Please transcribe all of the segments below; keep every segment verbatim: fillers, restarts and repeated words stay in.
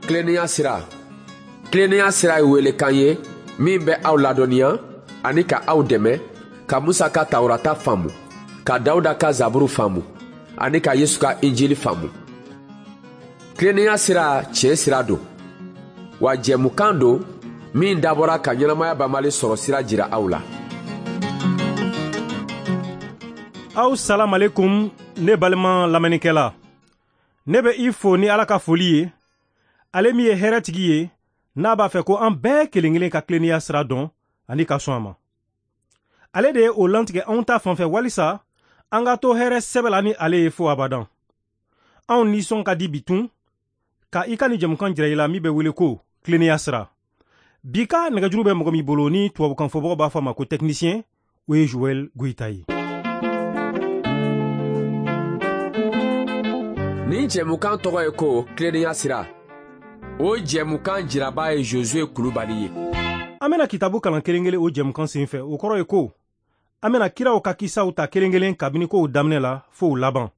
Tilennenya sira. Tilennenya sira ye welekan ye min bɛ aw ladɔnniya ani ka aw dɛmɛ ka Musa ka Tawurata faamu, ka Dawuda ka Zaburu faamu ani ka Yesu ka Injili faamu. Tilennenya sira tiɲɛ sira don, wa jɛmukan don min dabɔra ka ɲɛnamaya banbali sɔrɔ sira jira aw la. Aw salam alaikum ne balima lamɛnnikɛla. Ne bɛ i fo ni Ala ka foli ye, ale min ye hɛrɛtigi ye, n'a b'a fɛ ko an bɛɛ kelen kelen ka tilennenya sira dɔn ani ka sɔn a ma. Ale de ye o lantigɛ anw ta fan fɛ walisa an ka to hɛrɛ sɛbɛ la ni ale ye fo abadan. Anw nisɔn ka di bi tun ka i ka nin jɛmukan jira i la min bɛ wele ko tilennenya sira. Bi ka nɛgɛjuru bɛ mɔgɔ min bolo ni tubabukan fɔbagaw b'a fɔ a ma ko technicien, o ye Joël Goïta ye. Nin jɛmukan tɔgɔ ye ko tilennenya sira. O jɛmukan jiraba ye Josué Kulubali ye. An bɛna kitabu kalan kelen kelen o jɛmukan sen fɛ. O kɔrɔ ye ko an bɛna kiraw ka kisaw ta kelen kelen kabini kow daminɛ la fo u laban.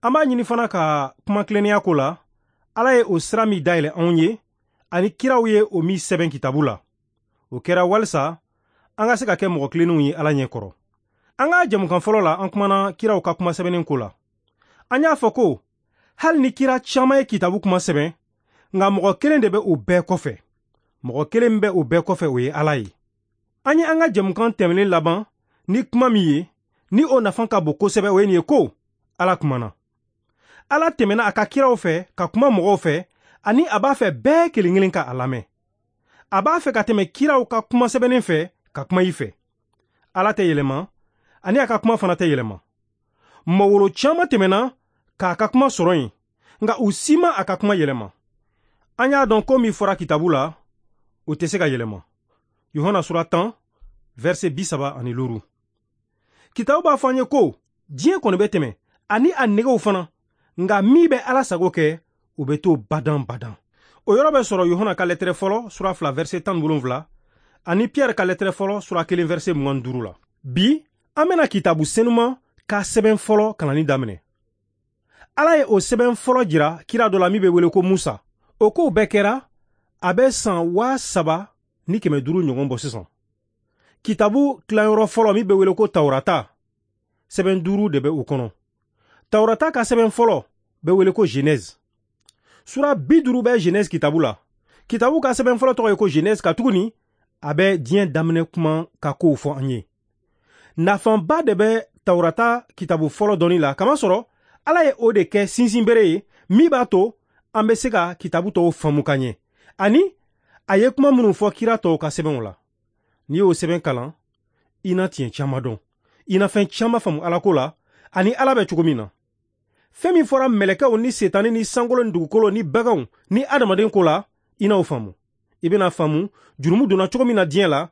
An b'a ɲini fana ka kuma tilennenya ko la, Ala ye o sira min dayɛlɛ anw ye ani kiraw ye o min sɛbɛn kitabu la. O kɛra walisa an ka se ka kɛ mɔgɔ tilennenw ye Ala ɲɛ kɔrɔ. An ka jɛmukan fɔlɔ la, an kumana kiraw ka kuma sɛbɛnnen ko la. An y'a fɔ ko hali ni kira caman ye kitabu kuma sɛbɛn, nka mɔgɔ kelen de bɛ o bɛɛ kɔfɛ. Mɔgɔ kelen bɛ o bɛɛ kɔfɛ, o ye Ala ye. An ye an ka jɛmukan tɛmɛnen laban ni kuma min ye, ni o nafa ka bon kosɛbɛ, o ye nin ye ko Ala kumana. Ala tɛmɛna a ka kiraw fɛ ka kuma mɔgɔw fɛ, ani a b'a fɛ bɛɛ kelen kelen ka a lamɛn. A b'a fɛ ka tɛmɛ kiraw ka kuma sɛbɛnnen fɛ ka kuma i fɛ. Ala tɛ yɛlɛma, ani a ka kuma fana tɛ yɛlɛma. Mɔgɔ caman tɛmɛna k'a ka kuma sɔrɔ yen, nka u si ma a ka kuma yɛlɛma. An y'a dɔn ko min fɔra kitabu la, o tɛ se ka yɛlɛma. Yohana sura tan, verset bi saba ani loru. Kitabu b'a fɔ an ye ko diɲɛ kɔni bɛ tɛmɛ, ani a negew fana, nka min bɛ Ala sago kɛ, o bɛ to badan badan. O yɔrɔ bɛ sɔrɔ Yohana ka lɛtɛrɛ fɔlɔ sura fila verset tan ni wolonwula ani Pierre ka lɛtɛrɛ fɔlɔ sura kelen verset mugan ni duuru la. Bi an bɛna kitabu senuman ka sɛbɛn fɔlɔ kalanni daminɛ. Ala ye o sɛbɛn fɔlɔ jira kira dɔ la min bɛ wele ko Musa. O kow bɛɛ kɛra a bɛ san waa saba ni kɛmɛ duuru ɲɔgɔn bɔ sisan. Kitabu tilayɔrɔ fɔlɔ min bɛ wele ko Tawurata, sɛbɛn duuru de bɛ o kɔnɔ. Tawurata ka sɛbɛn fɔlɔ bɛ wele ko Genèse. Sura bi duuru bɛ Genèse kitabu la. Kitabu ka sɛbɛn fɔlɔ tɔgɔ ye ko Genèse, katuguni a bɛ diɲɛ daminɛ kuma ka kow fɔ an ye. Nafaba de bɛ Tawurata kitabu fɔlɔ dɔnni la, kamasɔrɔ Ala ye o de kɛ sinsinbere ye min b'a to an bɛ se ka kitabu tɔw faamu ka ɲɛ, ani a ye kuma minnu fɔ kira tɔw ka sɛbɛnw la. N'i y'o sɛbɛn kalan, i na tiɲɛ caman dɔn, i na fɛn caman faamu Ala ko la ani Ala bɛ cogo min na. Fɛn min fɔra mɛlɛkɛw ni setani ni sankolo ni dugukolo ni baganw ni adamaden ko la, i n'o faamu. I bɛna faamu jurumu donna cogo min na diɲɛ la,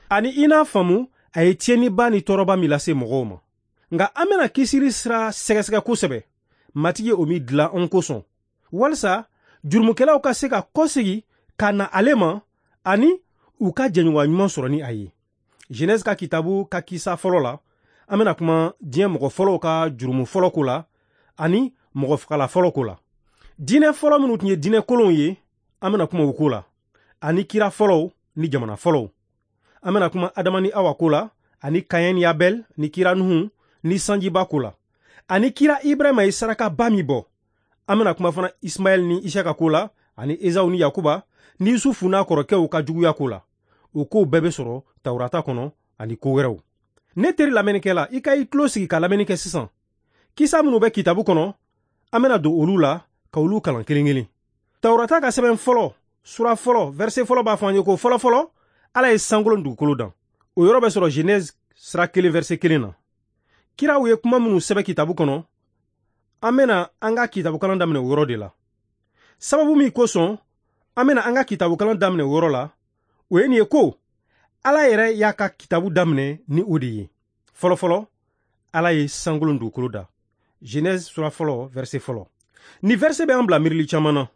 ani i n'a faamu a ye tiɲɛniba ni tɔɔrɔba min lase mɔgɔw ma. Nka an bɛna kisili sira sɛgɛsɛgɛ kosɛbɛ, Matigi ye o min dilan anw kosɔn, walisa jurumukɛlaw ka se ka kɔsegi ka na ale ma ani u ka jɛɲɔgɔnya ɲuman sɔrɔ ni a ye. Genèse ka kitabu ka kisa fɔlɔ la, an bɛna kuma diɲɛ mɔgɔ fɔlɔw ka jurumu fɔlɔ ko la ani mɔgɔ fagala fɔlɔ ko la. Diinɛ fɔlɔ minnu tun ye diinɛ kolonw ye, an bɛna kuma o ko la, ani kira fɔlɔw ni jamana fɔlɔw. An bɛna kuma Adama ni Awa ko la, ani Kaɲɛ ni Abɛl ni kira Nuhu ni sanjiba ko la, ani kira Ibrahima ye sarakaba min bɔ. An bɛna kuma fana Ismaɛl ni Isaka ko la, ani Ezawu ni Yakuba ni Yusufu n'a kɔrɔkɛw ka juguya ko la. O kow bɛɛ bɛ sɔrɔ Tawurata kɔnɔ ani ko wɛrɛw. Ne teri lamɛnnikɛla, i ka i tulo sigi ka lamɛnni kɛ sisan. Kisa minnu bɛ kitabu kɔnɔ, an bɛna don olu la ka olu kalan kelen kelen. Tawurata ka sɛbɛn fɔlɔ, sura fɔlɔ, verset fɔlɔ b'a fɔ an ye ko fɔlɔ fɔlɔ, Ala ye sankolo ni dugukolo dan. O yɔrɔ bɛ sɔrɔ Genèse sura kelen verset kelen na. Kiraw ye kuma minnu sɛbɛn kitabu kɔnɔ, an bɛna an ka kitabukalan daminɛ o yɔrɔ de la. Sababu min kosɔn an bɛna an ka kitabukalan daminɛ o yɔrɔ la, o ye nin ye ko Ala yɛrɛ y'a ka kitabu daminɛ ni o de ye. Fɔlɔ fɔlɔ, Ala ye sankolo ni dugukolo da. Genèse sura fɔlɔ verset fɔlɔ. Ni verset bɛ an bila miirili caman na.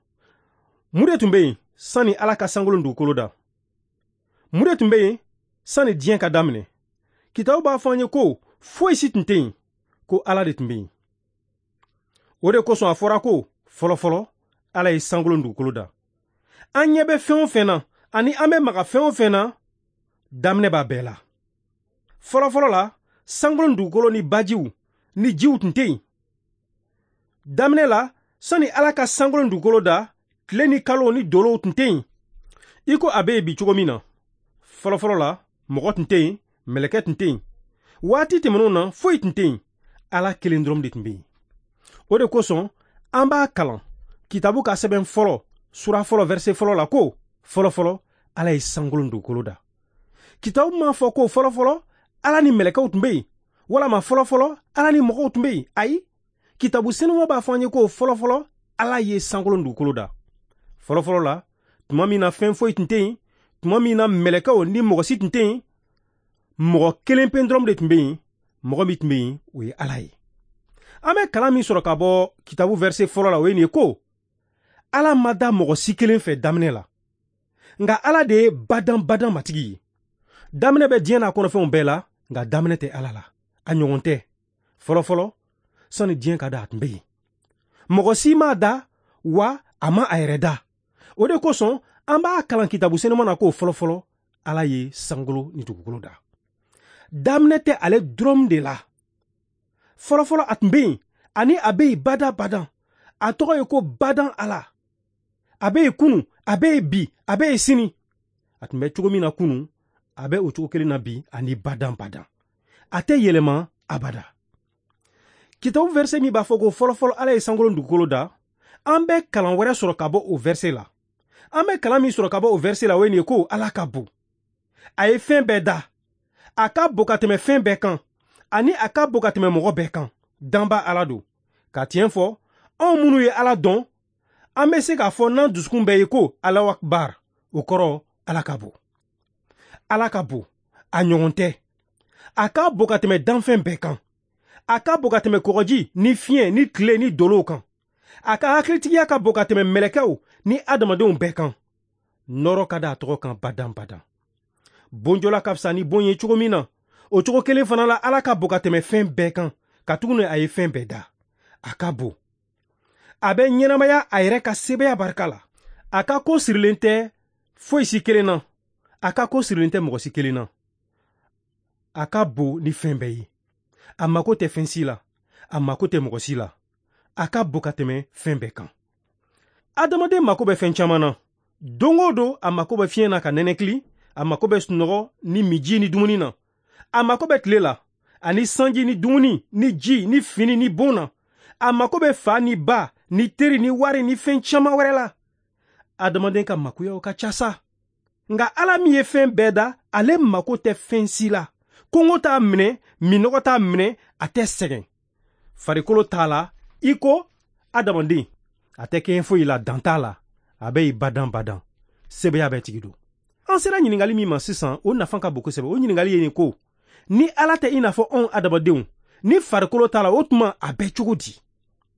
Mun de tun bɛ yen sani Ala ka sankolo ni dugukolo da? Mun de tun bɛ yen sani diɲɛ ka daminɛ? Kitabu b'a fɔ an ye ko foyi si tun tɛ yen, ko Ala de tun bɛ yen. O de kosɔn a fɔra ko fɔlɔ fɔlɔ Ala ye sankolo ni dugukolo da. An ɲɛ bɛ fɛn o fɛn na ani an bɛ maga fɛn o fɛn na, daminɛ b'a bɛɛ la. Fɔlɔfɔlɔ la, sankolo ni dugukolo ni bajiw ni jiw tun tɛ yen. Daminɛ la, sani Ala ka sankolo ni dugukolo da, tile ni kalo ni dolow tun tɛ yen. I ko a bɛ yen bi cogo min na. Fɔlɔfɔlɔ la, mɔgɔ tun tɛ yen, mɛlɛkɛ tun tɛ yen. Waati tɛmɛnenw na, foyi tun tɛ yen. Ala kelen dɔrɔn de tun bɛ yen. O de kosɔn, an b'a kalan kitabu ka sɛbɛn fɔlɔ, sura fɔlɔ, verset fɔlɔ la ko fɔlɔfɔlɔ Ala ye sankolo ni dugukolo da. Kitabu m'a fɔ ko fɔlɔfɔlɔ Ala ni mɛlɛkɛw tun bɛ yen, walama fɔlɔfɔlɔ Ala ni mɔgɔw tun bɛ yen. Ayi, kitabu senuma b'a fɔ an ye ko fɔlɔfɔlɔ Ala ye sankolo ni dugukolo da. Fɔlɔfɔlɔ la, tuma min na fɛn foyi tun tɛ yen, tuma min na mɛlɛkɛw ni mɔgɔ si tun tɛ yen, mɔgɔ kelen pe dɔrɔn de tun bɛ yen. Mɔgɔ min tun bɛ yen, o ye Ala ye. An bɛ kalan min sɔrɔ ka bɔ kitabu verset fɔlɔ la, o ye nin ye ko Ala ma da mɔgɔ si kelen fɛ daminɛ la, nka Ala de ye badan badan matigi ye. Daminɛ bɛ diɲɛ n'a kɔnɔfɛnw bɛɛ la, nka daminɛ tɛ Ala la, a ɲɔgɔn tɛ. Fɔlɔfɔlɔ, sani diɲɛ ka da, a tun bɛ yen. Mɔgɔ si m'a da, wa a ma a yɛrɛ da. O de kosɔn an b'a kalan kitabu senuma na ko fɔlɔfɔlɔ Ala ye sankolo ni dugukolo da. Daminɛ tɛ ale dɔrɔn de la. Fɔlɔfɔlɔ a tun bɛ yen, ani a bɛ yen badan badan. A tɔgɔ ye ko badan Ala. A bɛ yen kunu, a bɛ yen bi, a bɛ yen sini. A tun bɛ cogo min na kunu, a bɛ o cogo kelen na bi ani badan badan. A tɛ yɛlɛma abada. Kitabu verset min b'a fɔ ko fɔlɔfɔlɔ Ala ye sankolo ni dugukolo da, an bɛ kalan wɛrɛ sɔrɔ ka bɔ o verset la. An bɛ kalan min sɔrɔ ka bɔ o verset la, o ye nin ye ko Ala ka bon. A ye fɛn bɛɛ da. A ka bon ka tɛmɛ fɛn bɛɛ kan, ani a ka bon ka tɛmɛ mɔgɔ bɛɛ kan. Danba Ala don. Ka tiɲɛ fɔ, anw minnu ye Ala dɔn, an bɛ se k'a fɔ n'an dusukun bɛɛ ye ko Alahu Akibar, o kɔrɔ Ala ka bon. Ala ka bon, a ɲɔgɔn tɛ. A ka bon ka tɛmɛ danfɛn bɛɛ kan. A ka bon ka tɛmɛ kɔgɔji ni fiɲɛ ni tile ni dolow kan. A ka hakilitigiya ka bon ka tɛmɛ mɛlɛkɛw ni adamadenw bɛɛ kan. Nɔrɔ ka da a tɔgɔ kan badan badan. Bonjɔla ka fisa ni bon ye cogo min na, o cogo kelen fana la Ala ka bon ka tɛmɛ fɛn bɛɛ kan, katuguni a ye fɛn bɛɛ da. A ka bon. A bɛ ɲɛnamaya a yɛrɛ ka sebaaya barika la. A ka ko sirilen tɛ foyi si kelen na. A ka ko sirilen tɛ mɔgɔ si kelen na. A ka bon ni fɛn bɛɛ ye. A mako tɛ fɛn si la. A mako tɛ mɔgɔ si la. A ka bon ka tɛmɛ fɛn bɛɛ kan. Adamaden mako bɛ fɛn caman na. Don o don, a mako bɛ fiɲɛ na ka nɛnɛkili. A mako bɛ sunɔgɔ ni miji ni dumuni na. A mako bɛ tile la, ani sanji ni dumuni ni ji ni fini ni bon na. A mako bɛ fa ni ba ni teri ni wari ni fɛn caman wɛrɛ la. Adamaden ka makoyaw ka ca sa. Nka Ala min ye fɛn bɛɛ da, ale mako tɛ fɛn si la. Kɔngɔ t'a minɛ, minɔgɔ t'a minɛ, a tɛ sɛgɛn. Farikolo t'a la, i ko adamaden. A tɛ kɛɲɛ foyi la, dan t'a la. A bɛ yen badan badan. Sebaaya bɛɛ tigi don. An sera ɲininkali min ma sisan, o nafa ka bon kosɛbɛ. O ɲininkali ye nin ko: ni Ala tɛ i n'a fɔ anw adamadenw, ni farikolo t'a la, o tuma a bɛ cogo di?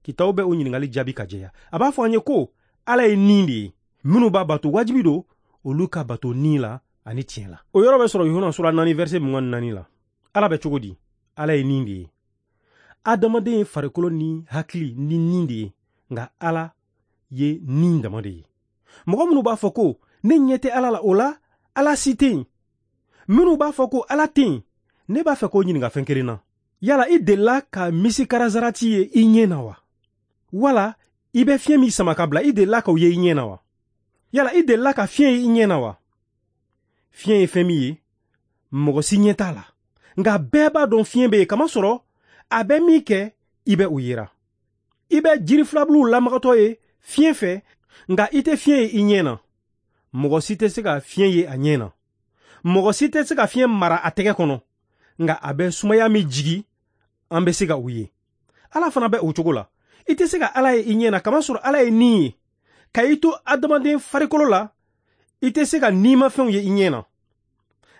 Kitabu bɛ o ɲininkali jaabi ka jɛya. A b'a fɔ an ye ko Ala ye nin de ye. Minnu b'a bato wajibi don, olu ka bato nin la ani tiɲɛ la. O yɔrɔ bɛ sɔrɔ Yohana sura naani verset mugan ni naani la. Ala bɛ cogo di? Ala ye nin de ye. Adamaden ye farikolo ni hakili ni nin de ye, nka Ala ye nin dama de ye. Mɔgɔ minnu b'a fɔ ko ne ɲɛ tɛ Ala la, o la Ala si tɛ yen. Minnu b'a fɔ ko Ala tɛ yen, ne b'a fɛ k'o ɲininka fɛn kelen na. Yala i delila ka misikara-zarati ye i ɲɛ na wa? Wala i bɛ fiɲɛ min sama ka bila, i delila k'o ye i ɲɛ na wa? Yala i delila ka fiɲɛ ye i ɲɛ na wa? Fiɲɛ ye fɛn min ye, mɔgɔ si ɲɛ t'a la. Nka bɛɛ b'a dɔn fiɲɛ bɛ yen, kamasɔrɔ a bɛ min kɛ, i bɛ o yera. I bɛ jiri filabuluw lamagatɔ ye fiɲɛ fɛ, nka i tɛ fiɲɛ ye i ɲɛ na. Mɔgɔ si tɛ se ka fiɲɛ ye a ɲɛ na. Mɔgɔ si tɛ se ka fiɲɛ mara a tɛgɛ kɔnɔ, nka a bɛ sumaya min jigi, an bɛ se ka o ye. Ala fana bɛ o cogo la. I tɛ se ka Ala ye i ɲɛ na, kamasɔrɔ Ala ye nin ye. Ka i to adamaden farikolo la, i tɛ se ka nimafɛnw ye i ɲɛ na.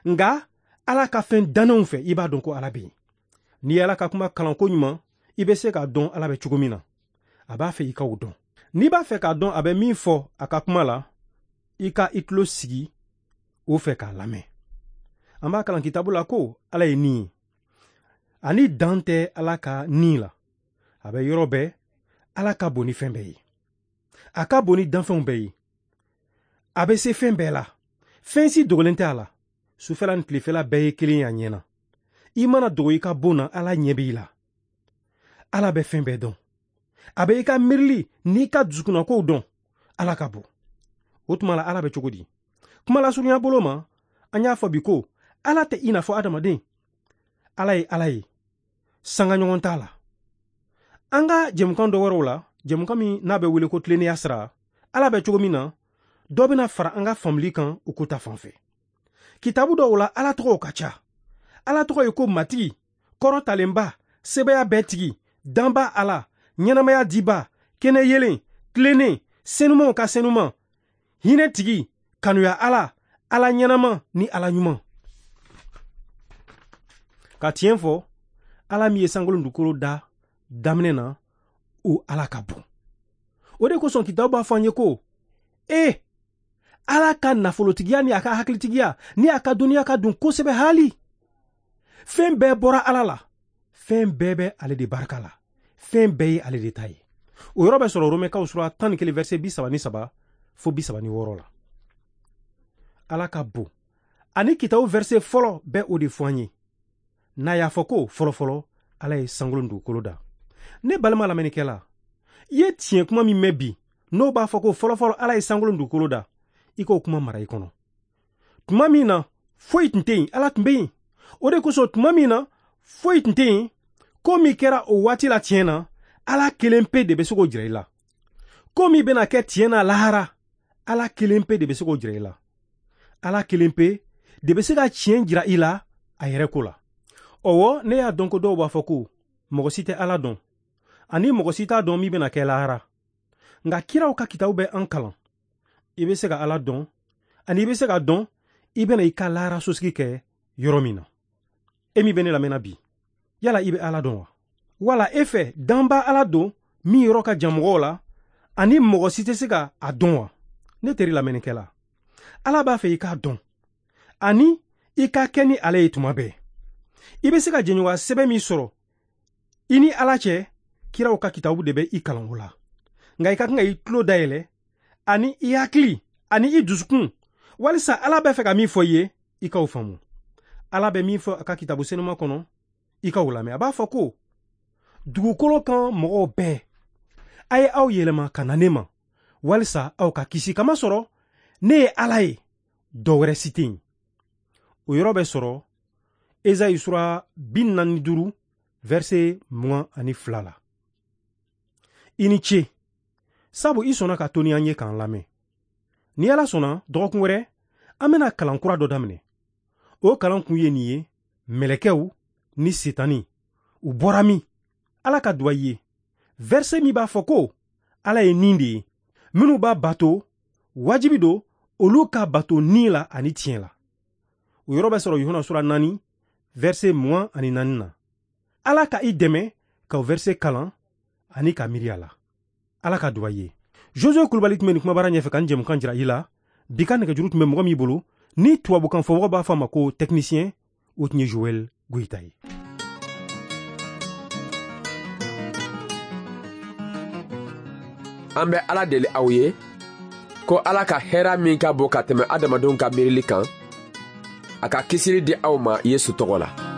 Nka Ala ka fɛn dannenw fɛ, i b'a dɔn ko Ala bɛ yen. N'i ye Ala ka kuma kalan ko ɲuman, i bɛ se k'a dɔn Ala bɛ cogo min na. A b'a fɛ i ka o dɔn. N'i b'a fɛ k'a dɔn a bɛ min fɔ a ka kuma la, i ka i tulo sigi o fɛ k'a lamɛn. An b'a kalan kitabu la ko Ala ye nin ye. Ani dan tɛ Ala ka nin la. A bɛ yɔrɔ bɛɛ, Ala ka bon ni fɛn bɛɛ ye. A ka bon ni danfɛnw bɛɛ ye. A bɛ se fɛn bɛɛ la. Fɛn si dogolen tɛ a la. Sufɛla ni tilefɛla bɛɛ ye kelen ye a ɲɛ na. I mana dogo i ka bon na, Ala ɲɛ b'i la. Ala bɛ fɛn bɛɛ dɔn. A bɛ i ka miirili n'i ka dusukunnakow dɔn. Ala ka bon. O tuma la Ala bɛ cogo di? Kuma lasurunya bolo ma, an y'a fɔ bi ko Ala tɛ i n'a fɔ adamaden. Ala ye Ala ye. Sanga ɲɔgɔn t'a la. An ka jɛmukan dɔ wɛrɛw la, jɛmukan min n'a bɛ wele ko tilennenya sira, Ala bɛ cogo min na, dɔ bɛna fara an ka faamuli kan o ko ta fan fɛ. Kitabu dɔw la, Ala tɔgɔw ka ca. Ala tɔgɔ ye ko Matigi, kɔrɔtalenba, sebaya bɛɛ tigi, danba Ala, ɲɛnamaya diba, kɛnɛ yelen, tilennen, senumanw ka senuman, hinɛ tigi, kanuya Ala, Ala ɲɛnama ni Ala ɲuman. Ka tiɲɛ fɔ, Ala min ye sankolo dugukolo da daminɛ na, o Ala ka bon. O de kosɔn kitabu b'a fɔ an ye ko, ee, Ala ka nafolotigiya ni a ka hakilitigiya ni a ka dɔnniya ka dun kosɛbɛ haali. Fɛn bɛɛ bɔra Ala la. Fɛn bɛɛ bɛ ale de barika la. Fɛn bɛɛ ye ale de ta ye. O yɔrɔ bɛ sɔrɔ Romɛkaw sura tan ni kelen verset bi saba ni saba fo bi saba ni wɔɔrɔ la. Ala ka bon. Ani kitabu verset fɔlɔ bɛ o de fɔ an ye. N'a y'a fɔ ko fɔlɔfɔlɔ Ala ye sankolo ni dugukolo da. Ne balima lamɛnnikɛla, i ye tiɲɛ kuma min mɛn bi, n'o b'a fɔ ko fɔlɔfɔlɔ Ala ye sankolo ni dugukolo da, i k'o kuma mara i kɔnɔ. Tuma min na foyi tun tɛ yen, Ala tun bɛ yen. O de kosɔn tuma min na foyi tun tɛ yen, ko min kɛra o waati la tiɲɛ na, Ala kelen pe de bɛ se k'o jira i la. Ko min bɛna kɛ tiɲɛ na lahara, Ala kelen pe de bɛ se k'o jira i la. Ala kelen pe de bɛ se ka tiɲɛ jira i la a yɛrɛ ko la. Ɔwɔ, ne y'a dɔn ko dɔw b'a fɔ ko mɔgɔ si tɛ Ala dɔn, ani mɔgɔ si t'a dɔn min bɛna kɛ lahara. Nka kiraw ka kitabu bɛ an kalan. I bɛ se ka Ala dɔn, ani i bɛ se ka dɔn i bɛna i ka lahara sosigi kɛ yɔrɔ min na. E min bɛ ne lamɛnna bi, yala i bɛ Ala dɔn wa? Wala e fɛ danba Ala don min yɔrɔ ka jan mɔgɔw la, ani mɔgɔ si tɛ se ka a dɔn wa? Ne teri lamɛnnikɛla, Ala b'a fɛ i k'a dɔn, ani i ka kɛ ni ale ye tuma bɛɛ. I bɛ se ka jɛɲɔgɔnya sɛbɛn min sɔrɔ i ni Ala cɛ, kiraw ka kitabu de bɛ i kalan o la. Nka i ka kan ka i tulo dayɛlɛ, ani i hakili, ani i dusukun, walisa Ala bɛ fɛ ka min fɔ i ye, i k'o faamu. Ala bɛ min fɔ a ka kitabu senuma kɔnɔ, i k'o lamɛn. A b'a fɔ ko dugukolo kan mɔgɔw bɛɛ, a ye aw yɛlɛma ka na ne ma, walisa aw ka kisi kamasɔrɔ ne ye Ala ye, dɔ wɛrɛ si tɛ yen. O yɔrɔ bɛ sɔrɔ Ezayi sura bi naani ni duuru verset mugan ani fila la. I ni ce, sabu i sɔnna ka to ni an ye k'an lamɛn. Ni Ala sɔnna, dɔgɔkun wɛrɛ an bɛna kalan kura dɔ daminɛ. O kalan kun ye nin ye, mɛlɛkɛw ni setani u bɔra min? Ala ka duwa i ye. Verset min b'a fɔ ko Ala ye nin de ye, minnu b'a bato wajibi don olu ka bato ni la ani tiɲɛ la. O yɔrɔ bɛ sɔrɔ Yohana sura naani verset mugan ani naani na. Ala ka i dɛmɛ ka o verset kalan ani ka miiri a la. Ala ka duwa i ye. Josué Kulubali tun bɛ nin kumabara ɲɛfɛ ka nin jɛmukan jira i la. Bi ka nɛgɛjuru tun bɛ mɔgɔ min bolo, ni tubabukan fɔmɔgɔ b'a fɔ a ma ko technicien, o tun ye Joël Goyita ye. An bɛ Ala deli aw ye ko Ala ka hɛrɛ min ka bon ka tɛmɛ adamadenw ka miirili kan, a ka kisili di aw ma Yesu tɔgɔ la.